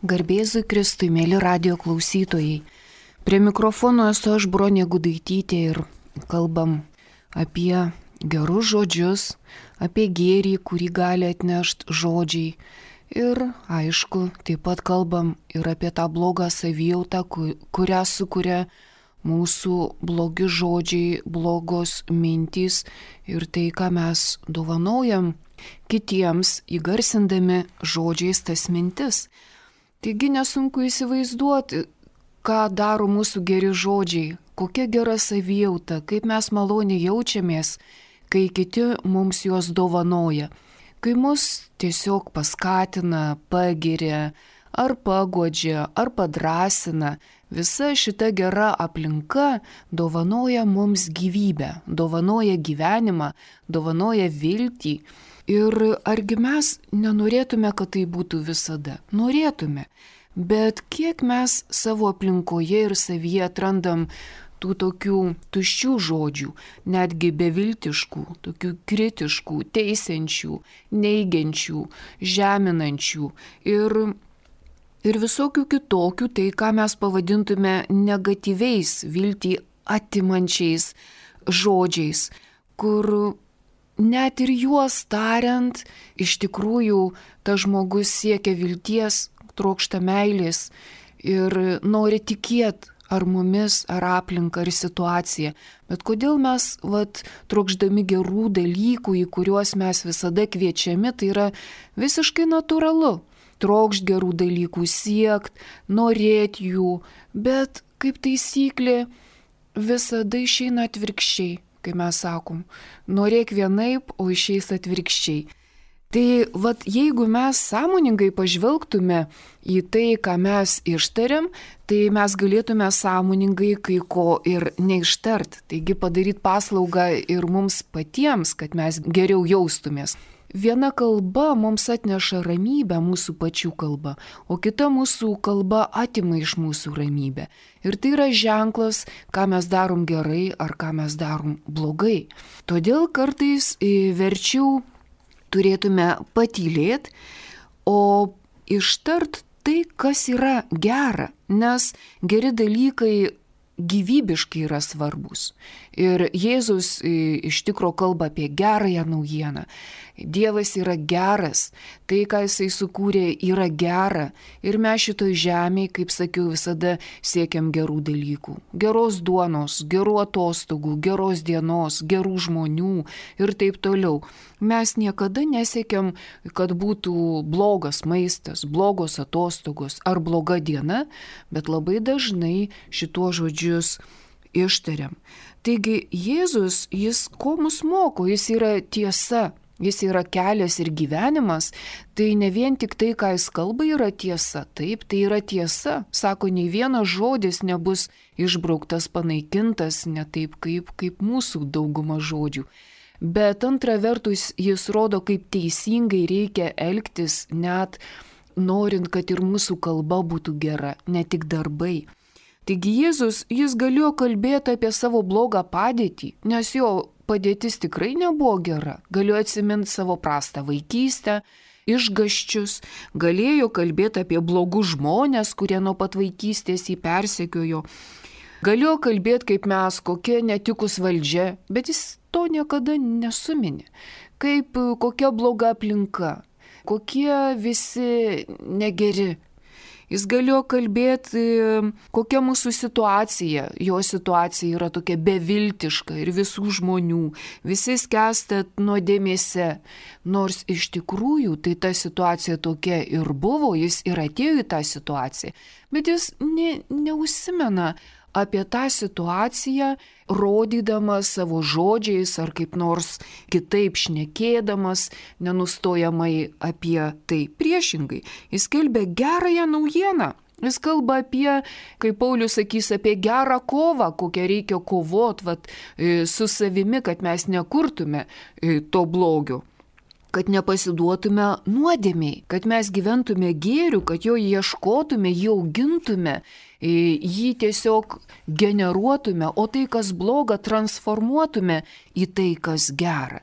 Garbėzui Kristui, mėly radio klausytojai. Prie mikrofono esu aš, Bronė Gudaitytė, ir kalbam apie gerus žodžius, apie gėrį, kurį gali atnešti žodžiai. Ir aišku, taip pat kalbam ir apie tą blogą savijautą, kurią sukuria mūsų blogi žodžiai, blogos mintys ir tai, ką mes dovanojam kitiems, įgarsindami žodžiais tas mintis. Taigi nesunku įsivaizduoti, ką daro mūsų geri žodžiai, kokia gera savijauta, kaip mes maloniai jaučiamės, kai kiti mums juos dovanoja, kai mus tiesiog paskatina, pagiria, ar paguodžia, ar padrasina. Visa šita gera aplinka dovanoja mums gyvybę, dovanoja gyvenimą, dovanoja viltį. Ir argi mes nenorėtume, kad tai būtų visada? Norėtume. Bet kiek mes savo aplinkoje ir savyje atrandam tų tokių tuščių žodžių, netgi beviltiškų, tokių kritiškų, teisiančių, neigiančių, žeminančių ir visokių kitokių, tai ką mes pavadintume negatyviais, viltį atimančiais žodžiais, kur net ir juos tariant, iš tikrųjų tas žmogus siekia vilties, trokšta meilės ir nori tikėti ar mumis, ar aplinką, ar situaciją. Bet kodėl mes, trokšdami gerų dalykų, į kuriuos mes visada kviečiami, tai yra visiškai natūralu. Trokšt gerų dalykų, siekt, norėt jų, bet kaip taisyklė visada išeina atvirkščiai. Kai mes sakom, norėk vienaip, o išeis atvirkščiai. Tai jeigu mes sąmoningai pažvelgtume į tai, ką mes ištariam, tai mes galėtume sąmoningai kai ko ir neištart. Taigi padaryti paslaugą ir mums patiems, kad mes geriau jaustumės. Viena kalba mums atneša ramybę, mūsų pačių kalba, o kita mūsų kalba atima iš mūsų ramybę. Ir tai yra ženklas, ką mes darom gerai ar ką mes darom blogai. Todėl kartais verčiau turėtume patylėti, o ištart tai, kas yra gera, nes geri dalykai gyvybiškai yra svarbus. Ir Jėzus iš tikro kalba apie gerąją naujieną. Dievas yra geras, tai, ką jisai sukūrė, yra gera. Ir mes šitoj žemėje, kaip sakiau, visada siekiam gerų dalykų. Geros duonos, gerų atostogų, geros dienos, gerų žmonių ir taip toliau. Mes niekada nesiekiam, kad būtų blogas maistas, blogos atostogos ar bloga diena, bet labai dažnai šituo žodžius ištariam. Taigi Jėzus, jis ko mus moko, jis yra tiesa. Jis yra kelias ir gyvenimas, tai ne vien tik tai, ką jis kalba, yra tiesa. Taip, tai yra tiesa. Sako, nei vienas žodis nebus išbrauktas, panaikintas, ne taip kaip mūsų dauguma žodžių. Bet antra vertus, jis rodo, kaip teisingai reikia elgtis, net norint, kad ir mūsų kalba būtų gera, ne tik darbai. Taigi Jėzus, jis galėjo kalbėti apie savo blogą padėtį, nes jo padėtis tikrai nebuvo gera. Galėjo atsiminti savo prastą vaikystę, išgąsčius, galėjo kalbėti apie blogus žmonės, kurie nuo pat vaikystės jį persekiojo. Galėjo kalbėti, kaip mes, kokia netikus valdžia, bet jis to niekada nesuminė. Kaip kokia bloga aplinka, kokie visi negeri. Jis galėjo kalbėti, kokia mūsų situacija. Jo situacija yra tokia beviltiška ir visų žmonių. Visi skęsta nuodėmėse. Nors iš tikrųjų tai ta situacija tokia ir buvo, jis ir atėjo į tą situaciją. Bet jis neužsimena apie tą situaciją, rodydamas savo žodžiais ar kaip nors kitaip šnekėdamas, nenustojamai apie tai. Priešingai, jis skelbia gerąją naujieną. Jis kalba apie, kaip Paulius sakys, apie gerą kovą, kokią reikia kovoti su savimi, kad mes nekurtume to blogio. Kad nepasiduotume nuodėmiai, kad mes gyventume gėriu, kad jo ieškotume, jį augintume, jį tiesiog generuotume, o tai, kas bloga, transformuotume į tai, kas gera.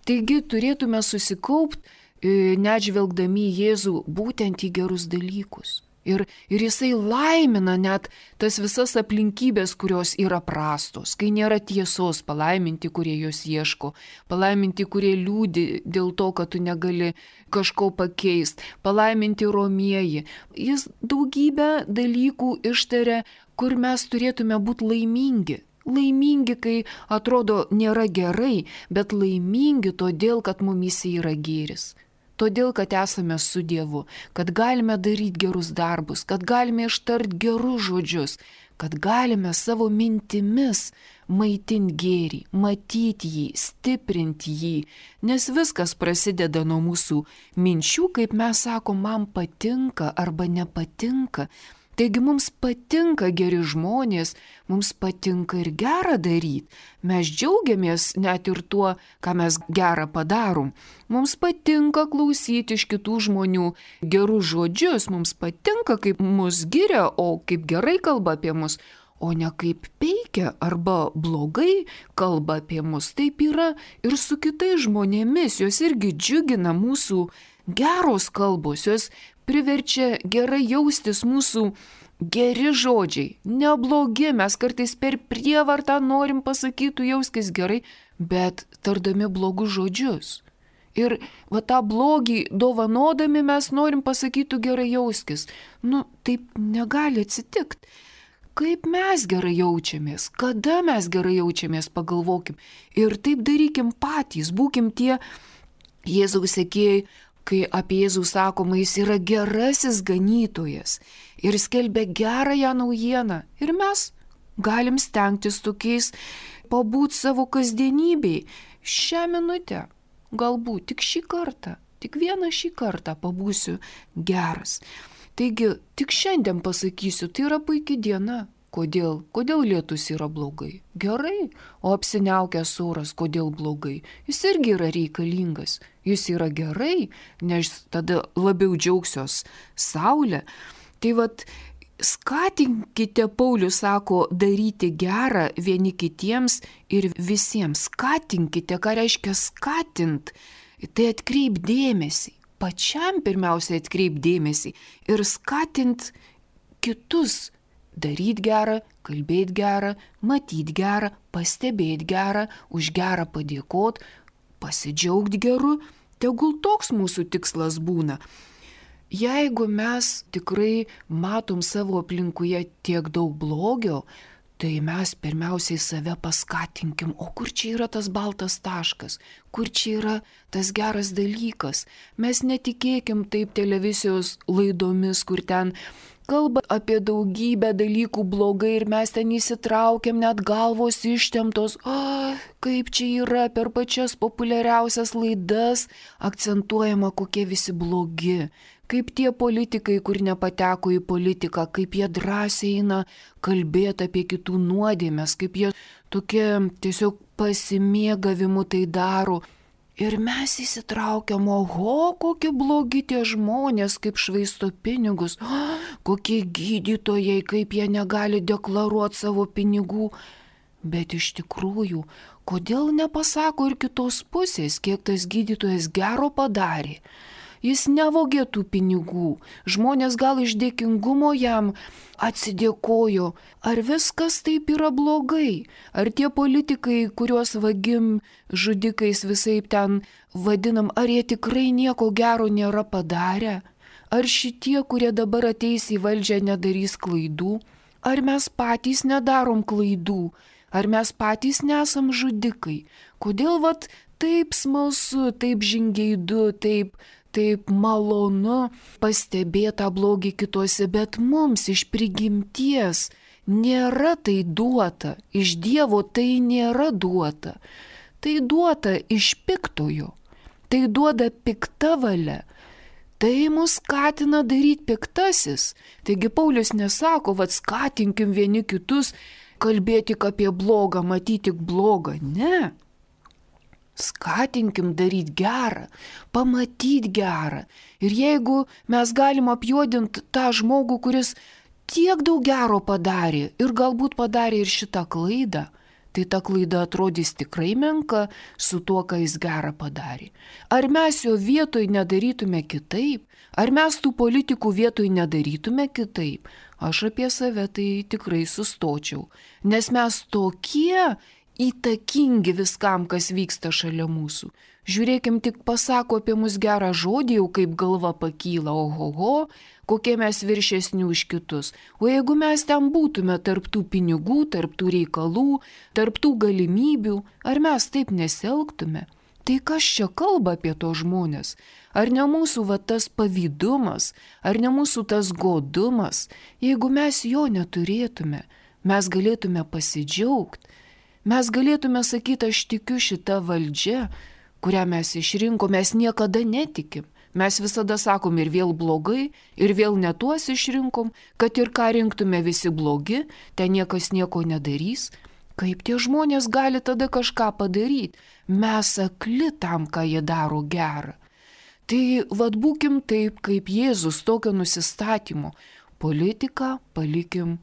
Taigi turėtume susikaupti, net žvelgdami į Jėzų, būtent į gerus dalykus. Ir jisai laimina net tas visas aplinkybės, kurios yra prastos, kai nėra tiesos, palaiminti, kurie jos ieško, palaiminti, kurie liūdi dėl to, kad tu negali kažko pakeisti, palaiminti romieji. Jis daugybę dalykų ištaria, kur mes turėtume būti laimingi. Laimingi, kai atrodo nėra gerai, bet laimingi todėl, kad mumyse yra gėris. Todėl, kad esame su Dievu, kad galime daryti gerus darbus, kad galime ištarti gerus žodžius, kad galime savo mintimis maitinti gėrį, matyti jį, stiprinti jį, nes viskas prasideda nuo mūsų minčių, kaip mes sakom, man patinka arba nepatinka. Taigi mums patinka geri žmonės, mums patinka ir gerą daryti. Mes džiaugiamės net ir tuo, ką mes gerą padarom. Mums patinka klausyti iš kitų žmonių gerus žodžius, mums patinka, kaip mus giria, o kaip gerai kalba apie mus, o ne kaip peikia arba blogai kalba apie mus. Taip yra ir su kitais žmonėmis, jos irgi džiugina mūsų geros kalbos, jos priverčia gerai jaustis mūsų geri žodžiai, neblogi, mes kartais per prievartą norim pasakyti, jauskis gerai, bet tardami blogus žodžius. Ir va tą blogį dovanodami mes norim pasakyti gerai jauskis. Taip negali atsitikti. Kaip mes gerai jaučiamės, kada mes gerai jaučiamės, pagalvokim. Ir taip darykim patys, būkim tie Jėzaus sekėjai, kai apie Jėzų sakoma, jis yra gerasis ganytojas ir skelbia gerąją naujieną. Ir mes galim stengtis tokiais pabūti savo kasdienybėj. Šią minutę, galbūt tik šį kartą, tik vieną šį kartą pabūsiu geras. Taigi, tik šiandien pasakysiu, tai yra puikia diena. Kodėl? Kodėl lietus yra blogai? Gerai. O apsiniaukęs oras, kodėl blogai? Jis irgi yra reikalingas. Jis yra gerai, nes tada labiau džiaugsios saulė. Tai skatinkite, Paulius sako, daryti gerą vieni kitiems ir visiems. Skatinkite, ką reiškia skatint? Tai atkreip dėmesį. Pačiam pirmiausia atkreip dėmesį ir skatint kitus. Daryti gerą, kalbėti gerą, matyti gerą, pastebėti gerą, už gerą padėkoti, pasidžiaugti geru, tegul toks mūsų tikslas būna. Jeigu mes tikrai matom savo aplinkoje tiek daug blogio, tai mes pirmiausiai save paskatinkim, o kur čia yra tas baltas taškas, kur čia yra tas geras dalykas. Mes netikėkim taip televizijos laidomis, kur ten kalba apie daugybę dalykų blogai ir mes ten įsitraukiam, net galvos ištemptos. Kaip čia yra per pačias populiariausias laidas akcentuojama, kokie visi blogi. Kaip tie politikai, kur nepateko į politiką, kaip jie drąsiai eina kalbėti apie kitų nuodėmes, kaip jie tokie tiesiog pasimėgavimu tai daro. Ir mes įsitraukiam, oho, kokie blogi tie žmonės, kaip švaisto pinigus, kokie gydytojai, kaip jie negali deklaruoti savo pinigų. Bet iš tikrųjų, kodėl nepasako ir kitos pusės, kiek tas gydytojas gero padarė? Jis nevogė tų pinigų, žmonės gal iš dėkingumo jam atsidėkojo. Ar viskas taip yra blogai? Ar tie politikai, kuriuos vagim žudikais visaip ten vadinam, ar jie tikrai nieko gero nėra padarę? Ar šitie, kurie dabar ateis į valdžią, nedarys klaidų? Ar mes patys nedarom klaidų? Ar mes patys nesam žudikai? Kodėl taip smalsu, taip žingeidu, taip malonu pastebėti blogį kituose, bet mums iš prigimties nėra tai duota, iš Dievo tai nėra duota. Tai duota iš piktojo, tai duoda pikta valia. Tai mus skatina daryti piktasis. Taigi Paulius nesako, skatinkim vieni kitus, kalbėti tik apie blogą, matyti tik blogą. Ne. Skatinkim daryti gerą, pamatyti gerą. Ir jeigu mes galim apjuodinti tą žmogų, kuris tiek daug gero padarė ir galbūt padarė ir šitą klaidą, tai ta klaida atrodys tikrai menka su tuo, ką jis gerą padarė. Ar mes jo vietoj nedarytume kitaip? Ar mes tų politikų vietoj nedarytume kitaip? Aš apie save tai tikrai sustočiau, nes mes tokie įtakingi viskam, kas vyksta šalia mūsų. Žiūrėkim, tik pasako apie mus gerą žodį, jau kaip galva pakyla, ohoho, kokie mes viršesni už kitus. O jeigu mes ten būtume tarptų pinigų, tarptų reikalų, tarptų galimybių, ar mes taip nesielgtume? Tai kas čia kalba apie to žmonės? Ar ne mūsų tas pavydumas, ar ne mūsų tas godumas? Jeigu mes jo neturėtume, mes galėtume pasidžiaugti. Mes galėtume sakyti, aš tikiu šitą valdžią, kurią mes išrinkom, mes niekada netikim. Mes visada sakom ir vėl blogai, ir vėl ne tuos išrinkom, kad ir ką rinktume visi blogi, ten niekas nieko nedarys. Kaip tie žmonės gali tada kažką padaryti? Mes akli tam, ką jie daro gerą. Tai būkim taip, kaip Jėzus, tokio nusistatymo. Politiką palikim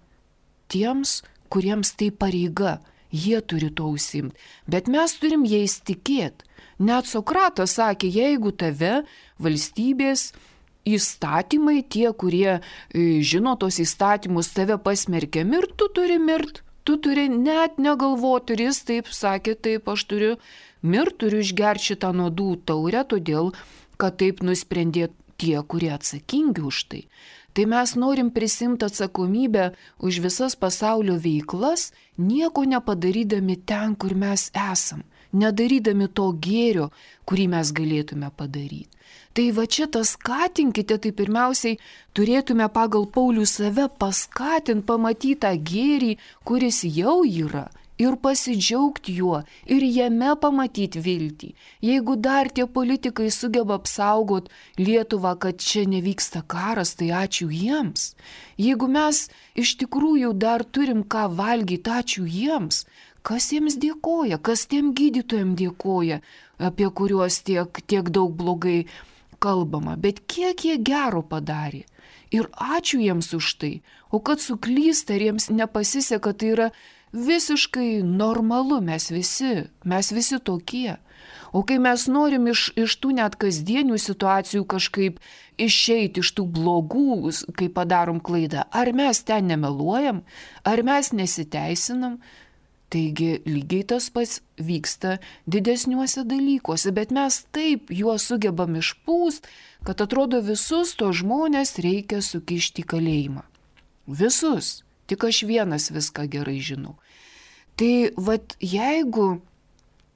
tiems, kuriems tai pareiga. Jie turi to užsimti, bet mes turim jais tikėti. Net Sokratas sakė, jeigu tave valstybės įstatymai, tie, kurie žino tos įstatymus, tave pasmerkia mirti, tu turi mirti. Tu turi net negalvoti, ir jis taip sakė, taip aš turiu mirti, turiu išgerti šitą nuodų taurę, todėl, kad taip nusprendė tie, kurie atsakingi už tai. Tai mes norim prisimti atsakomybę už visas pasaulio veiklas, nieko nepadarydami ten, kur mes esam, nedarydami to gėrio, kurį mes galėtume padaryti. Tai va čia tas skatinkite, tai pirmiausiai turėtume pagal Paulių save paskatinti, pamatyti tą gėrį, kuris jau yra, ir pasidžiaugti juo, ir jame pamatyti viltį. Jeigu dar tie politikai sugeba apsaugot Lietuvą, kad čia nevyksta karas, tai ačiū jiems. Jeigu mes iš tikrųjų dar turim ką valgyti, ačiū jiems. Kas jiems dėkoja, kas tiem gydytojams dėkoja, apie kuriuos tiek daug blogai kalbama, bet kiek jie gero padarė. Ir ačiū jiems už tai. O kad suklysta ir jiems nepasiseka, tai yra visiškai normalu, mes visi tokie. O kai mes norim iš tų net kasdienių situacijų kažkaip išeiti iš tų blogų, kai padarom klaidą, ar mes ten nemeluojam, ar mes nesiteisinam, taigi lygiai tas pats vyksta didesniuose dalykuose, bet mes taip juos sugebam išpūst, kad atrodo visus to žmonės reikia sukišti į kalėjimą. Visus. Tik aš vienas viską gerai žinau. Tai jeigu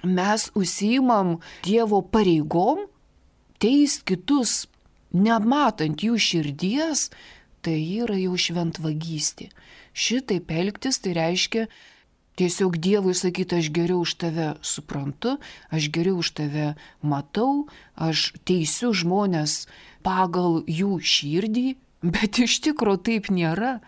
mes užsiimam Dievo pareigom, teist kitus, nematant jų širdies, tai yra jau šventvagystė. Šitaip elgtis tai reiškia tiesiog Dievui sakyti, aš geriau už tave suprantu, aš geriau už tave matau, aš teisiu žmonės pagal jų širdį, bet iš tikro taip nėra.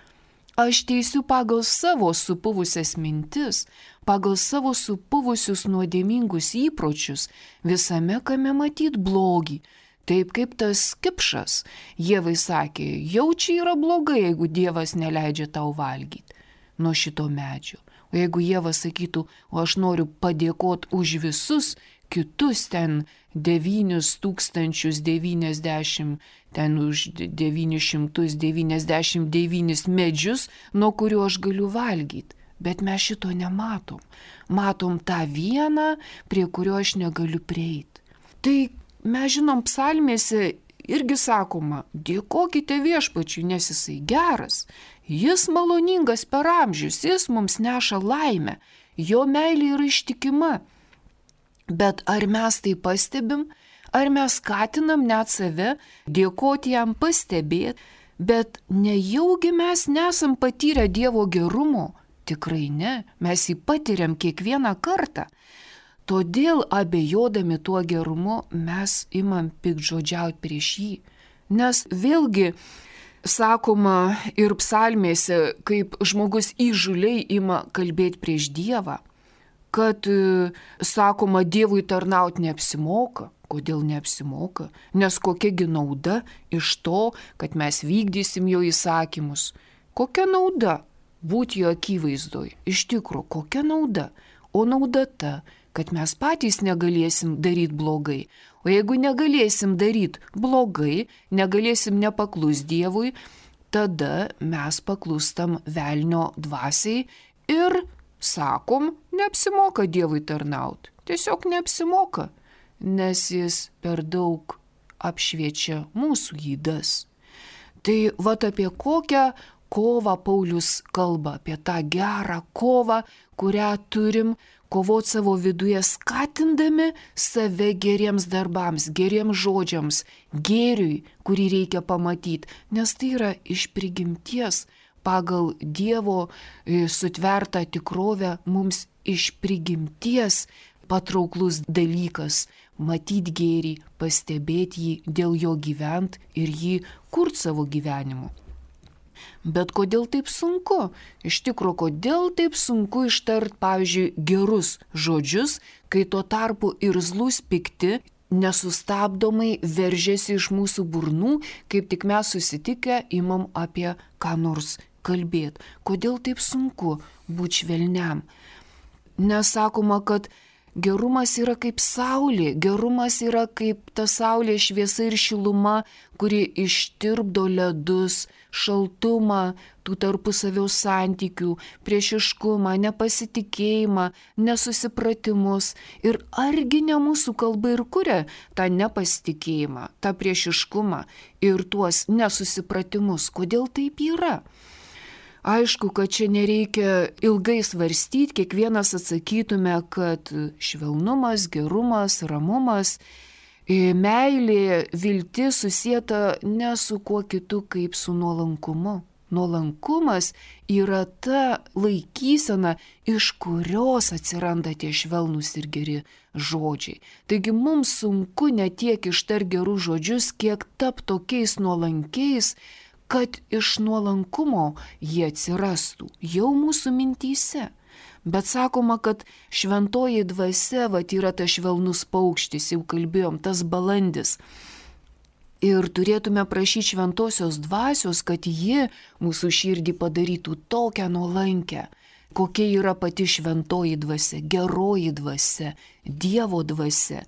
Aš teisiu pagal savo supuvusias mintis, pagal savo supuvusius nuodėmingus įpročius, visame kame matyt blogį. Taip kaip tas kipšas, Dievai sakė, jau čia yra blogai, jeigu Dievas neleidžia tau valgyti nuo šito medžio. O jeigu Dievas sakytų, o aš noriu padėkoti už visus kitus ten 9090, ten už 999 medžius, nuo kurių aš galiu valgyti. Bet mes šito nematom. Matom tą vieną, prie kurio aš negaliu prieiti. Tai mes žinom, psalmėse irgi sakoma, dėkokite Viešpačiui, nes jisai geras. Jis maloningas per amžius, jis mums neša laimę. Jo meilė yra ištikima. Bet ar mes tai pastebim, ar mes skatinam net save dėkoti jam, pastebėti, bet nejaugi mes nesam patyrę Dievo gerumo? Tikrai ne, mes jį patiriam kiekvieną kartą. Todėl abejodami tuo gerumu mes imam piktžodžiauti prieš jį. Nes vėlgi sakoma ir psalmėse, kaip žmogus įžūliai ima kalbėti prieš Dievą, kad, sakoma, Dievui tarnauti neapsimoka. Kodėl neapsimoka? Nes kokiagi nauda iš to, kad mes vykdysim jo įsakymus? Kokia nauda būti jo akivaizdoj? Iš tikro, kokia nauda? O nauda ta, kad mes patys negalėsim daryti blogai. O jeigu negalėsim daryti blogai, negalėsim nepaklus Dievui, tada mes paklūstam velnio dvasiai ir sakom, neapsimoka Dievui tarnauti. Tiesiog neapsimoka, nes jis per daug apšviečia mūsų ydas. Tai vat apie kokią kovą Paulius kalba, apie tą gerą kovą, kurią turim kovoti savo viduje, skatindami save geriems darbams, geriems žodžiams, gėriui, kurį reikia pamatyti, nes tai yra iš prigimties pagal Dievo sutvertą tikrovę mums iš prigimties patrauklus dalykas matyti gėrį, pastebėti jį, dėl jo gyventi ir jį kurti savo gyvenimu. Bet kodėl taip sunku? Iš tikrųjų, kodėl taip sunku ištart, pavyzdžiui, gerus žodžius, kai tuo tarpu irzlūs pikti nesustabdomai veržiasi iš mūsų burnų, kaip tik mes susitikę imam apie ką nors kalbėti. Kodėl taip sunku būti švelniam? Nesakoma, kad gerumas yra kaip saulė, gerumas yra kaip ta saulė šviesa ir šiluma, kuri ištirpdo ledus, šaltumą, tų tarpusavio santykių, priešiškumą, nepasitikėjimą, nesusipratimus. Ir argi ne mūsų kalba ir kuria tą nepasitikėjimą, tą priešiškumą ir tuos nesusipratimus? Kodėl taip yra? Aišku, kad čia nereikia ilgai svarstyti, kiekvienas atsakytume, kad švelnumas, gerumas, ramumas, meilė, viltis susieta ne su kuo kitu kaip su nuolankumu. Nuolankumas yra ta laikysena, iš kurios atsiranda tie švelnūs ir geri žodžiai. Taigi mums sunku ne tiek ištarti gerus žodžius, kiek tapti tokiais nuolankiais, kad iš nuolankumo jie atsirastų jau mūsų mintyse. Bet sakoma, kad šventoji dvasia yra tas švelnus paukštis, jau kalbėjom, tas balandis. Ir turėtume prašyti šventosios dvasios, kad ji mūsų širdį padarytų tokią nuolankę, kokia yra pati šventoji dvasia, geroji dvasia, Dievo dvasia.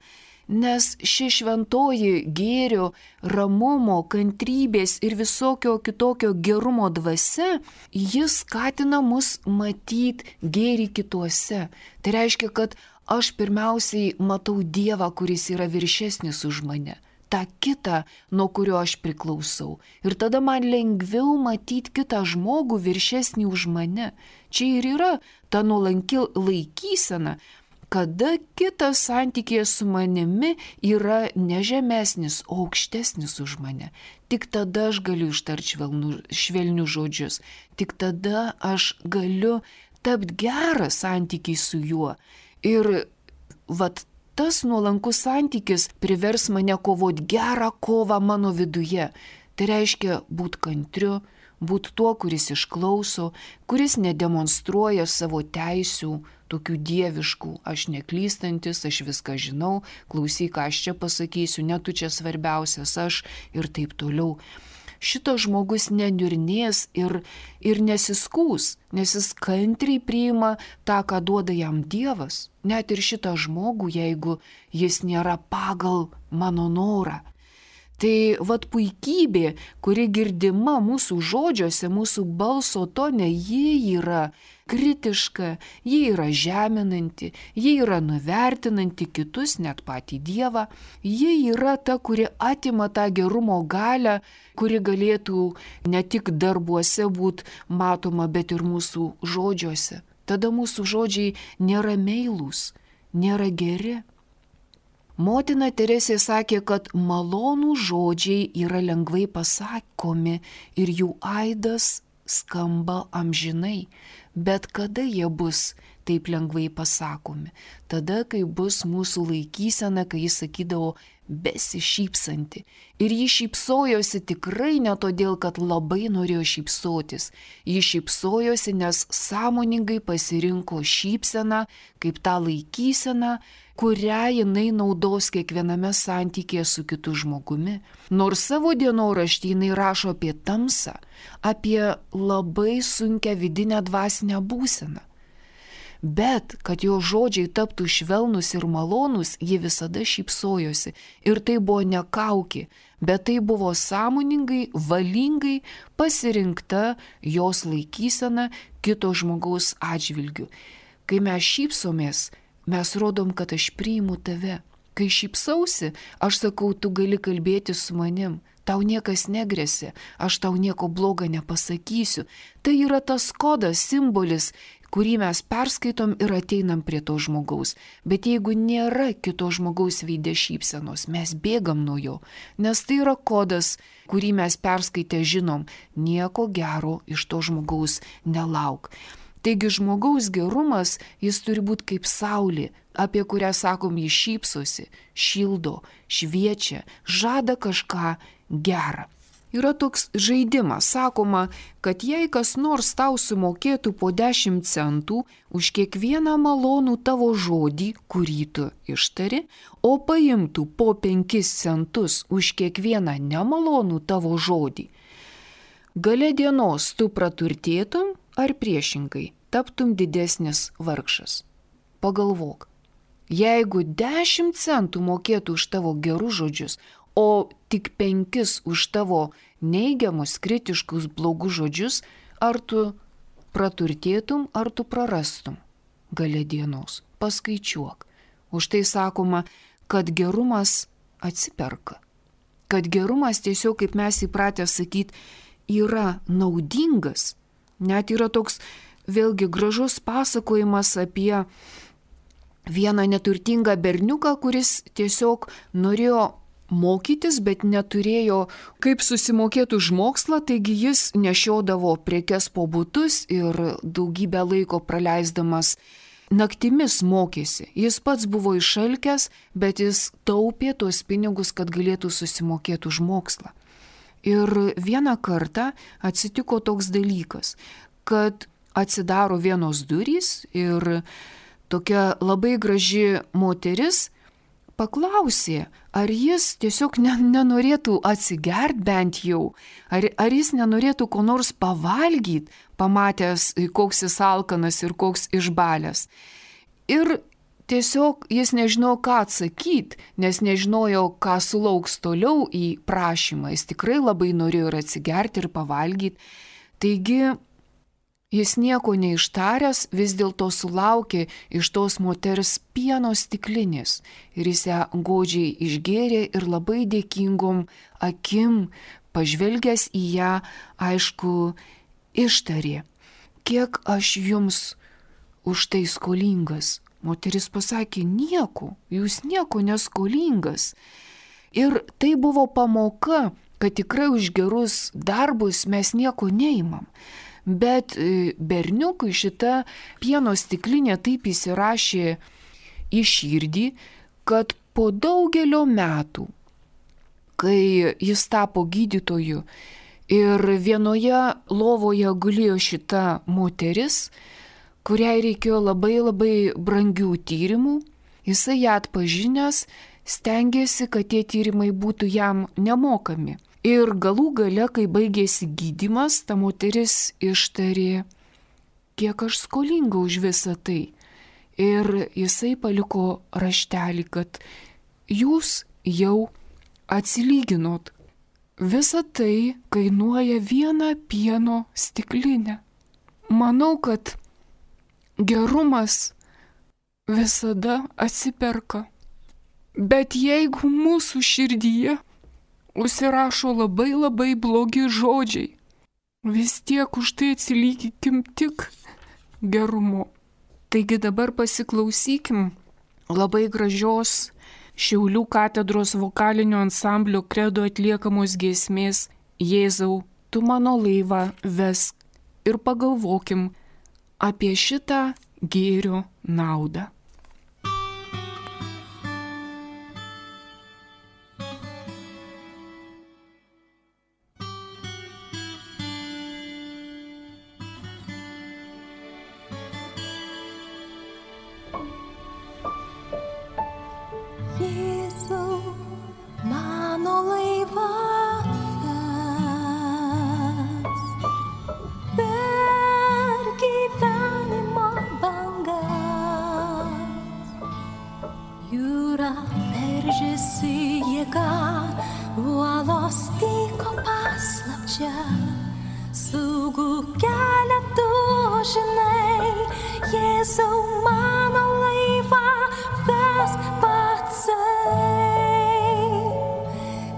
Nes ši šventoji gėrio, ramumo, kantrybės ir visokio kitokio gerumo dvasia, jis skatina mus matyti gėrį kituose. Tai reiškia, kad aš pirmiausiai matau Dievą, kuris yra viršesnis už mane. tą kitą, nuo kurio aš priklausau. Ir tada man lengviau matyti kitą žmogų viršesnį už mane. Čia ir yra ta nuolanki laikysena, kada kitas santykėje su manimi yra ne žemesnis, o aukštesnis už mane. Tik tada aš galiu ištarti švelnius žodžius. Tik tada aš galiu tapti gerą santykį su juo. Ir vat tas nuolankus santykis privers mane kovoti gerą kovą mano viduje. Tai reiškia būti kantriu, būti tuo, kuris išklauso, kuris nedemonstruoja savo teisių, tokių dieviškų, aš neklystantis, aš viską žinau, klausyk, ką aš čia pasakysiu, ne tu čia svarbiausias, aš ir taip toliau. Šitas žmogus neniurnės ir nesiskūs, nes jis kantriai priima tą, ką duoda jam Dievas. Net ir šitą žmogų, jeigu jis nėra pagal mano norą. Tai vat puikybė, kuri girdima mūsų žodžiuose, mūsų balso tone, ji yra kritiška, ji yra žeminanti, ji yra nuvertinanti kitus, net patį Dievą. Ji yra ta, kuri atima tą gerumo galią, kuri galėtų ne tik darbuose būti matoma, bet ir mūsų žodžiuose. Tada mūsų žodžiai nėra meilūs, nėra geri. Motina Teresė sakė, kad malonų žodžiai yra lengvai pasakomi ir jų aidas skamba amžinai. Bet kada jie bus taip lengvai pasakomi? Tada, kai bus mūsų laikysena, kai jis sakydavo besišypsanti. Ir ji šypsojosi tikrai ne todėl, kad labai norėjo šypsotis. Ji šypsojosi, nes sąmoningai pasirinko šypseną kaip tą laikyseną, kurią jinai naudos kiekviename santykėje su kitu žmogumi. Nors savo dienoraštį jinai rašo apie tamsą, apie labai sunkią vidinę dvasinę būseną. bet kad jo žodžiai taptų švelnus ir malonus, ji visada šypsojosi. Ir tai buvo ne kaukė, bet tai buvo sąmoningai, valingai pasirinkta jos laikysena kito žmogaus atžvilgiu. Kai mes šypsomės, mes rodom, kad aš priimu tave. Kai šypsausi, aš sakau, tu gali kalbėti su manim. Tau niekas negresia, aš tau nieko blogo nepasakysiu. Tai yra tas kodas, simbolis, kurį mes perskaitom ir ateinam prie to žmogaus. Bet jeigu nėra kito žmogaus veide šypsenos, mes bėgam nuo jo, nes tai yra kodas, kurį mes perskaitę žinom, nieko gero iš to žmogaus nelauk. Taigi žmogaus gerumas, jis turi būti kaip saulė, apie kurią sakom, jis šypsosi, šildo, šviečia, žada kažką gerą. Yra toks žaidimas, sakoma, kad jei kas nors tau sumokėtų po 10 centų už kiekvieną malonų tavo žodį, kurį tu ištari, o paimtų po 5 centus už kiekvieną nemalonų tavo žodį, gale dienos tu praturtėtum ar priešingai taptum didesnis vargšas. Pagalvok, jeigu 10 centų mokėtų už tavo gerus žodžius, o tik 5 už tavo neigiamus, kritiškus, blogus žodžius, ar tu praturtėtum, ar tu prarastum gale dienos. Paskaičiuok. Už tai sakoma, kad gerumas atsiperka. Kad gerumas tiesiog, kaip mes įpratę sakyti, yra naudingas. Net yra toks vėlgi gražus pasakojimas apie vieną neturtingą berniuką, kuris tiesiog norėjo mokytis, bet neturėjo kaip susimokėti už mokslą, taigi jis nešiodavo prekes po butus ir daugybę laiko praleisdamas naktimis mokėsi. Jis pats buvo išalkęs, bet jis taupė tuos pinigus, kad galėtų susimokėti už mokslą. Ir vieną kartą atsitiko toks dalykas, kad atsidaro vienos durys ir tokia labai graži moteris paklausė, ar jis tiesiog nenorėtų atsigert bent jau, ar jis nenorėtų ko nors pavalgyti, pamatęs, koks jis alkanas ir koks išbalęs. Ir tiesiog jis nežinojo, ką atsakyti, nes nežinojo, ką sulauks toliau į prašymą. Jis tikrai labai norėjo ir atsigerti, ir pavalgyti. Taigi jis nieko neištaręs, vis dėlto sulaukė iš tos moters pieno stiklinės ir jis ją godžiai išgėrė ir labai dėkingom akim, pažvelgęs į ją, aišku, ištarė, kiek aš jums už tai skolingas. Moteris pasakė, nieko, jūs nieko neskolingas. Ir tai buvo pamoka, kad tikrai už gerus darbus mes nieko neimam. Bet berniukui šita pieno stiklinė taip įsirašė į širdį, kad po daugelio metų, kai jis tapo gydytoju ir vienoje lovoje gulėjo šita moteris, kuriai reikėjo labai labai brangių tyrimų, jisai ją atpažinęs stengėsi, kad tie tyrimai būtų jam nemokami. Ir galų gale, kai baigėsi gydymas, ta moteris ištarė, kiek aš skolinga už visą tai. Ir jisai paliko raštelį, kad jūs jau atsilyginot. Visa tai kainuoja 1 pieno stiklinę. Manau, kad gerumas visada atsiperka. Bet jeigu mūsų širdyje užsirašo labai labai blogi žodžiai, vis tiek už tai atsilyginkim tik gerumu. Taigi dabar pasiklausykim labai gražios Šiaulių katedros vokalinio ansamblio Kredo atliekamos giesmės Jėzau, tu mano laivą vesk ir pagalvokim apie šitą gėrio naudą. Per gyvenimą bangą saugų kelią tu žinai, Jėzau mano laivą vesk patsai.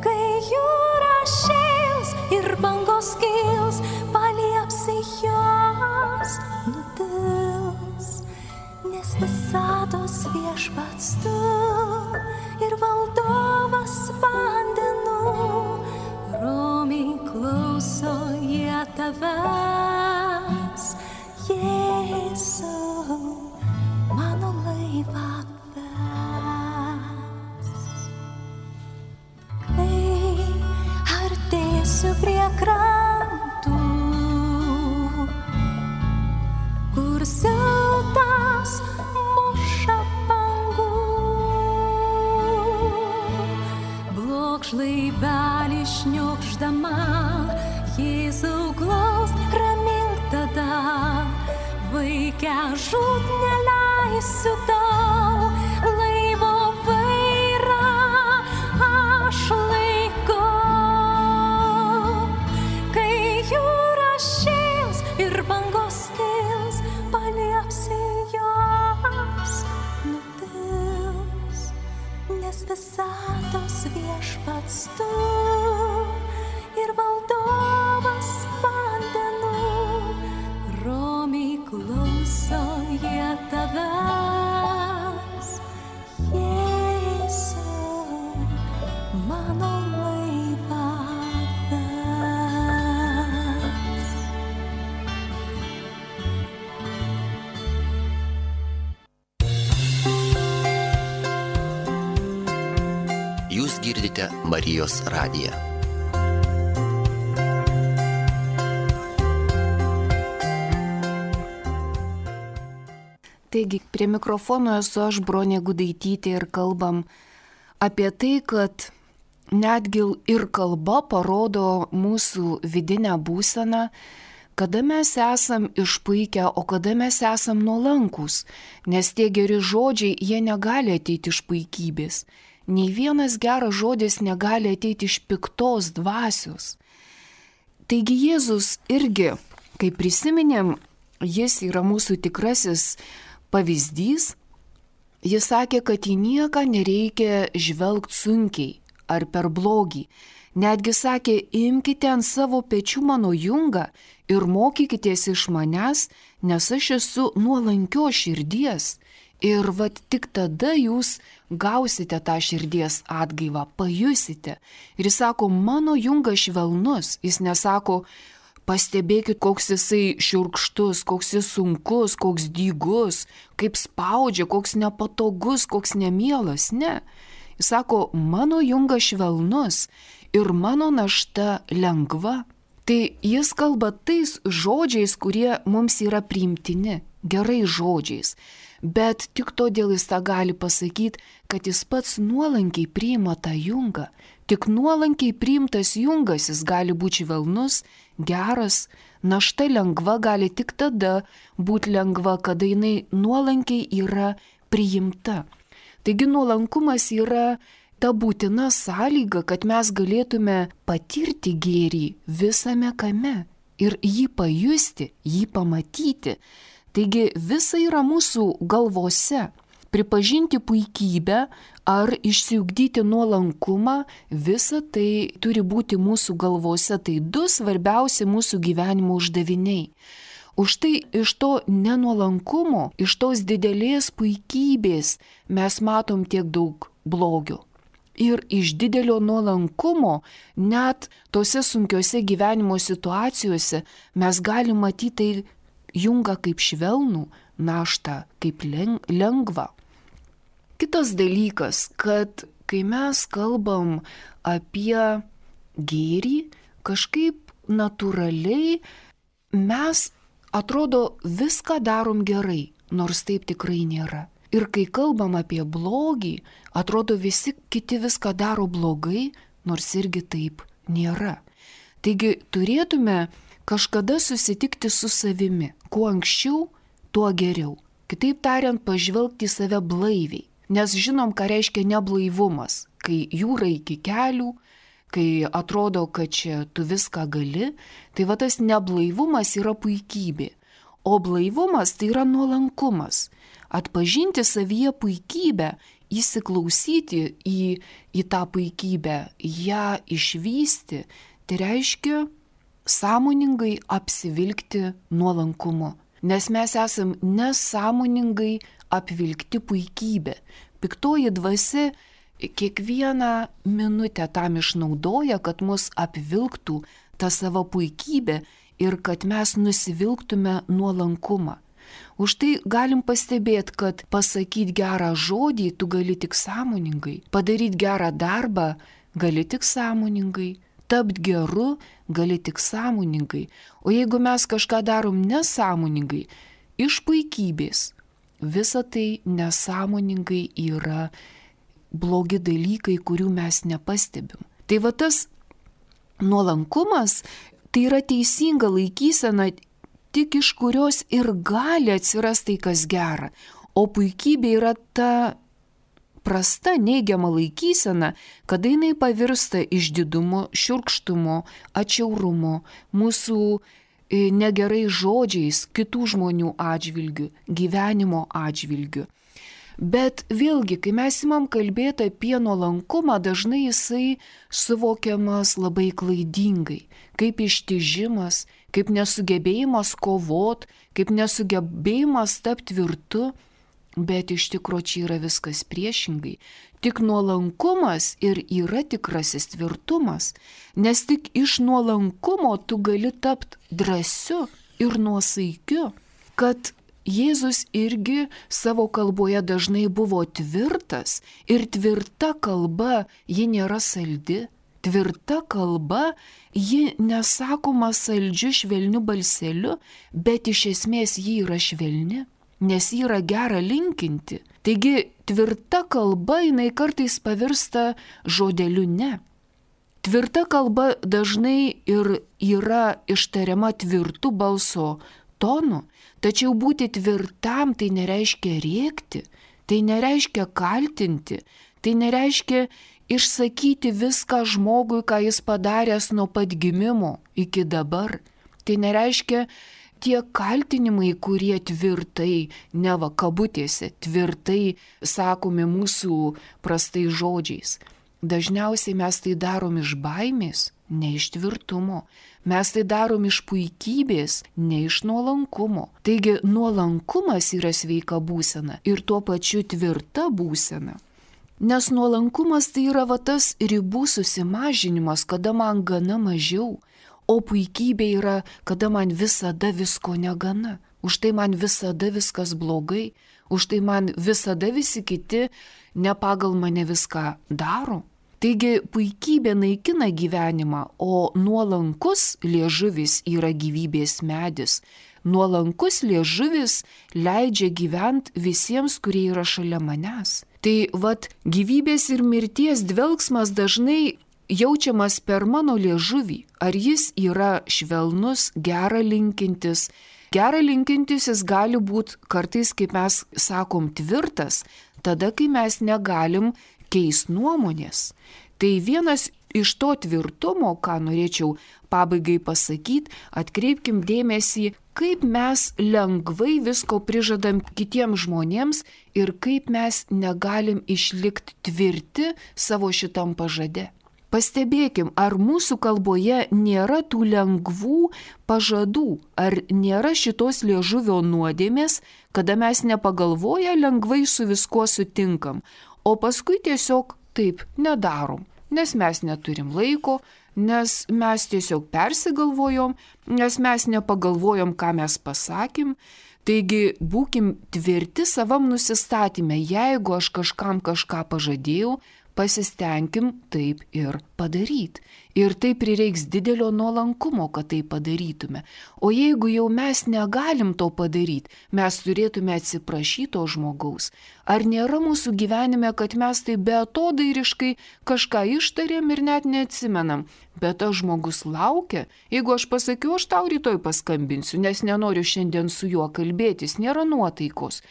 Kai jūra šėls ir bangos kils, paliepsi jos nutils, nes visatos viešpats tu ir valdovas vandenų, romiai klauso jie tavęs, Jėzau, mano laivą ves. Kai artėsiu prie krantų, kur siautas muša bangų, blokš laivelį šniokšdama, Jėzau glausk, ramink tada, Vaike žūt neleisiu tau, laivo vairą aš laikau. Kai jūra šėls ir bangos kils, paliepsi jos nutils, nes visatos viešpats tu ir valdovas vandenų, romiai klauso jie tavęs, Jėzau, mano laivą ves. Jūs girdite Marijos radiją. Taigi, prie mikrofono esu aš, Bronė Gudaitytė, ir kalbam apie tai, kad netgi ir kalba parodo mūsų vidinę būseną, kada mes esam išpuikę, o kada mes esam nuolankūs, nes tie geri žodžiai, jie negali ateiti iš puikybės. Nei vienas geras žodis negali ateiti iš piktos dvasios. Taigi Jėzus irgi, kai prisiminėm, jis yra mūsų tikrasis pavyzdys, jis sakė, kad į nieką nereikia žvelgti sunkiai ar per blogį. Netgi sakė, imkite ant savo pečių mano jungą ir mokykitės iš manęs, nes aš esu nuolankios širdies. Ir vat tik tada jūs gausite tą širdies atgaivą, pajusite. Ir jis sako, mano jungas švelnus, jis nesako, pastebėkit, koks jisai šiurkštus, koks jis sunkus, koks dygus, kaip spaudžia, koks nepatogus, koks nemielas. Ne. Jis sako, mano jungas švelnus ir mano našta lengva. Tai jis kalba tais žodžiais, kurie mums yra priimtini, gerais žodžiais. Bet tik todėl jis tą gali pasakyti, kad jis pats nuolankiai priima tą jungą. Tik nuolankiai priimtas jungas jis gali būti švelnus, geras, našta lengva gali tik tada būti lengva, kada jinai nuolankiai yra priimta. Taigi nuolankumas yra ta būtina sąlyga, kad mes galėtume patirti gėrį visame kame ir jį pajusti, jį pamatyti. Taigi visa yra mūsų galvose. Pripažinti puikybę ar išsiugdyti nuolankumą, visa tai turi būti mūsų galvose. Tai du svarbiausi mūsų gyvenimo uždaviniai. Už tai iš to nenuolankumo, iš tos didelės puikybės mes matom tiek daug blogio. Ir iš didelio nuolankumo, net tose sunkiose gyvenimo situacijose, mes galim matyti tai jungą kaip švelnų, naštą kaip lengvą. Kitas dalykas, kad kai mes kalbam apie gėrį, kažkaip natūraliai mes atrodo viską darom gerai, nors taip tikrai nėra. Ir kai kalbam apie blogį, atrodo visi kiti viską daro blogai, nors irgi taip nėra. Taigi turėtume kažkada susitikti su savimi. Kuo anksčiau, tuo geriau. Kitaip tariant, pažvelgti į save blaiviai. Nes žinom, ką reiškia neblaivumas. Kai jūra iki kelių, kai atrodo, kad čia tu viską gali, tai va tas neblaivumas yra puikybė. O blaivumas tai yra nuolankumas. Atpažinti savyje puikybę, įsiklausyti į tą puikybę, ją išvysti, tai reiškia sąmoningai apsivilkti nuolankumu. Nes mes esam nesąmoningai apvilkti puikybę. Piktoji dvasia kiekvieną minutę tam išnaudoja, kad mus apvilktų tą savo puikybę ir kad mes nusivilktume nuolankumą. Už tai galim pastebėti, kad pasakyti gerą žodį tu gali tik sąmoningai, padaryti gerą darbą gali tik sąmoningai, tapti geru gali tik sąmoningai. O jeigu mes kažką darom nesąmoningai, iš puikybės, visa tai nesąmoningai yra blogi dalykai, kurių mes nepastebim. Tai va tas nuolankumas, tai yra teisinga laikysena, tik iš kurios ir gali atsirasti tai, kas gera. O puikybė yra ta prasta, neigiama laikysena, kada jinai pavirsta išdidumu, šiurkštumu, atšiaurumu, mūsų negerai žodžiais, kitų žmonių atžvilgių, gyvenimo atžvilgių. Bet vėlgi, kai mes imam kalbėti apie nuolankumą, dažnai jisai suvokiamas labai klaidingai, kaip ištižimas, kaip nesugebėjimas kovot, kaip nesugebėjimas tapti tvirtu, bet iš tikrųjų čia yra viskas priešingai. Tik nuolankumas ir yra tikrasis tvirtumas, nes tik iš nuolankumo tu gali tapti drąsiu ir nuosaikiu, kad Jėzus irgi savo kalboje dažnai buvo tvirtas ir tvirta kalba, ji nėra saldi. Tvirta kalba, ji nesakoma saldžiu švelniu balseliu, bet iš esmės ji yra švelni, nes ji yra gera linkinti. Taigi tvirta kalba jinai kartais pavirsta žodeliu ne. Tvirta kalba dažnai ir yra ištariama tvirtu balso tonu, tačiau būti tvirtam tai nereiškia rėkti, tai nereiškia kaltinti, tai nereiškia išsakyti viską žmogui, ką jis padaręs nuo pat gimimo iki dabar. Tai nereiškia tie kaltinimai, kurie tvirtai, neva kabutėse, tvirtai sakomi mūsų prastai žodžiais. Dažniausiai mes tai darom iš baimės, ne iš tvirtumo. Mes tai darom iš puikybės, ne iš nuolankumo. Taigi nuolankumas yra sveika būsena ir tuo pačiu tvirta būsena. Nes nuolankumas tai yra va tas ribų susimažinimas, kada man gana mažiau, o puikybė yra, kada man visada visko negana. Už tai man visada viskas blogai, už tai man visada visi kiti ne pagal mane viską daro. Taigi puikybė naikina gyvenimą, o nuolankus liežuvis yra gyvybės medis. Nuolankus liežuvis leidžia gyventi visiems, kurie yra šalia manęs. Tai vat gyvybės ir mirties dvelgsmas dažnai jaučiamas per mano liežuvį. Ar jis yra švelnus, gera linkintis? Gera linkintis jis gali būti kartais, kaip mes sakom, tvirtas, tada, kai mes negalim keis nuomonės. Tai vienas iš to tvirtumo, ką norėčiau pabaigai pasakyti, atkreipkim dėmesį, kaip mes lengvai visko prižadam kitiems žmonėms ir kaip mes negalim išlikti tvirti savo šitam pažade. Pastebėkim, ar mūsų kalboje nėra tų lengvų pažadų, ar nėra šitos liežuvio nuodėmės, kada mes nepagalvoję lengvai su viskuo sutinkam, o paskui tiesiog taip nedarom, nes mes neturim laiko, nes mes tiesiog persigalvojom, nes mes nepagalvojom, ką mes pasakym. Taigi būkim tvirti savam nusistatymę, jeigu aš kažkam kažką pažadėjau, pasistengim taip ir padaryti. Ir tai prireiks didelio nuolankumo, kad tai padarytume. O jeigu jau mes negalim to padaryti, mes turėtume atsiprašyti to žmogaus. Ar nėra mūsų gyvenime, kad mes tai beatodairiškai kažką ištarėm ir net neatsimenam? Bet tas žmogus laukia, jeigu aš pasakiau, aš tau rytoj paskambinsiu, nes nenoriu šiandien su juo kalbėtis, nėra nuotaikos.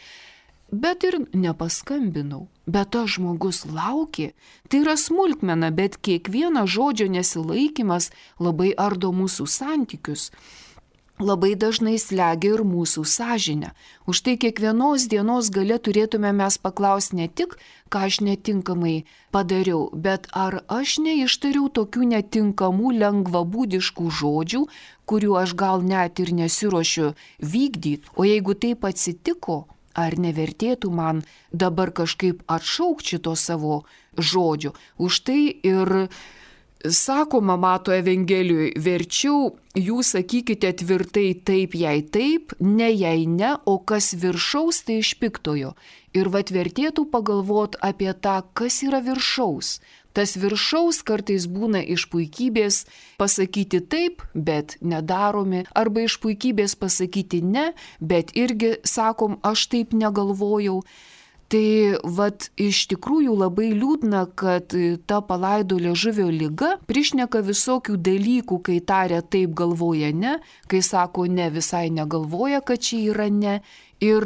bet ir nepaskambinau. Bet tas žmogus laukė. Tai yra smulkmena, bet kiekvieno žodžio nesilaikymas labai ardo mūsų santykius. Labai dažnai slegia ir mūsų sąžinę. Už tai kiekvienos dienos gale turėtume mes paklausti ne tik, ką aš netinkamai padariau, bet ar aš neištariau tokių netinkamų, lengvabūdiškų žodžių, kurių aš gal net ir nesiruošiu vykdyti. O jeigu taip atsitiko, ar nevertėtų man dabar kažkaip atšaukti šito savo žodžio. Už tai ir sakoma Mato Evangelijoje, verčiau jūs sakykite tvirtai taip, jei taip, ne jei ne, o kas viršaus, tai iš piktojo. Ir vertėtų pagalvoti apie tą, kas yra viršaus. Tas viršaus kartais būna iš puikybės pasakyti taip, bet nedaromi, arba iš puikybės pasakyti ne, bet irgi sakom, aš taip negalvojau. Tai iš tikrųjų labai liūdna, kad ta palaido liežuvio liga prišneka visokių dalykų, kai taria taip, galvoja ne, kai sako ne, visai negalvoja, kad čia yra ne. Ir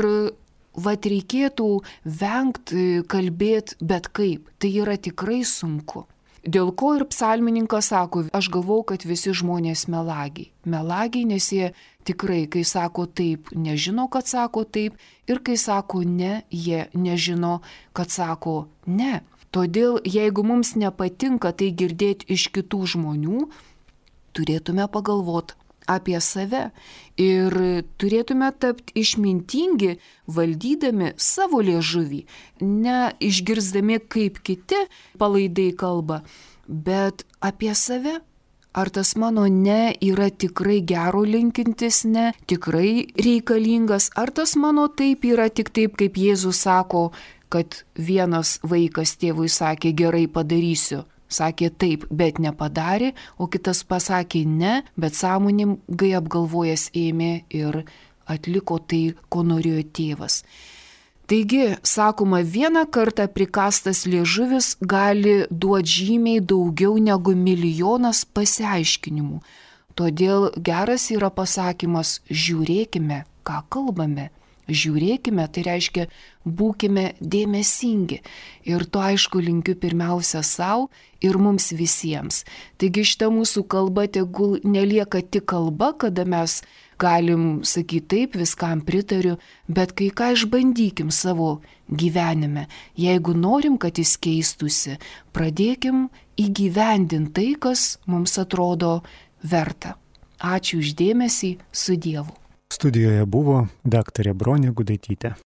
reikėtų vengti kalbėti bet kaip. Tai yra tikrai sunku. Dėl ko ir psalmininkas sako, aš galvau, kad visi žmonės melagiai. Melagiai, nes jie tikrai, kai sako taip, nežino, kad sako taip, ir kai sako ne, jie nežino, kad sako ne. Todėl, jeigu mums nepatinka tai girdėti iš kitų žmonių, turėtume pagalvoti apie save ir turėtume tapti išmintingi, valdydami savo liežuvį, ne išgirzdami, kaip kiti palaidai kalba, bet apie save. Ar tas mano ne yra tikrai gero linkintis ne, tikrai reikalingas, ar tas mano taip yra tik taip, kaip Jėzus sako, kad vienas vaikas tėvui sakė, gerai padarysiu. Sakė taip, bet nepadarė, o kitas pasakė ne, bet sąmoningai apgalvojęs ėmė ir atliko tai, ko norėjo tėvas. Taigi, sakoma, vieną kartą prikastas liežuvis gali duoti žymiai daugiau negu milijonas pasiaiškinimų. Todėl geras yra pasakymas, žiūrėkime, ką kalbame. Žiūrėkime, tai reiškia, būkime dėmesingi. Ir to aišku linkiu pirmiausia savo ir mums visiems. Taigi šita mūsų kalba tegul nelieka tik kalba, kada mes galim sakyti taip, viskam pritariu, bet kai ką išbandykim savo gyvenime. Jeigu norim, kad jis keistųsi, pradėkim įgyvendinti tai, kas mums atrodo verta. Ačiū už dėmesį, su Dievu. Studijoje buvo daktarė Bronė Gudaitytė.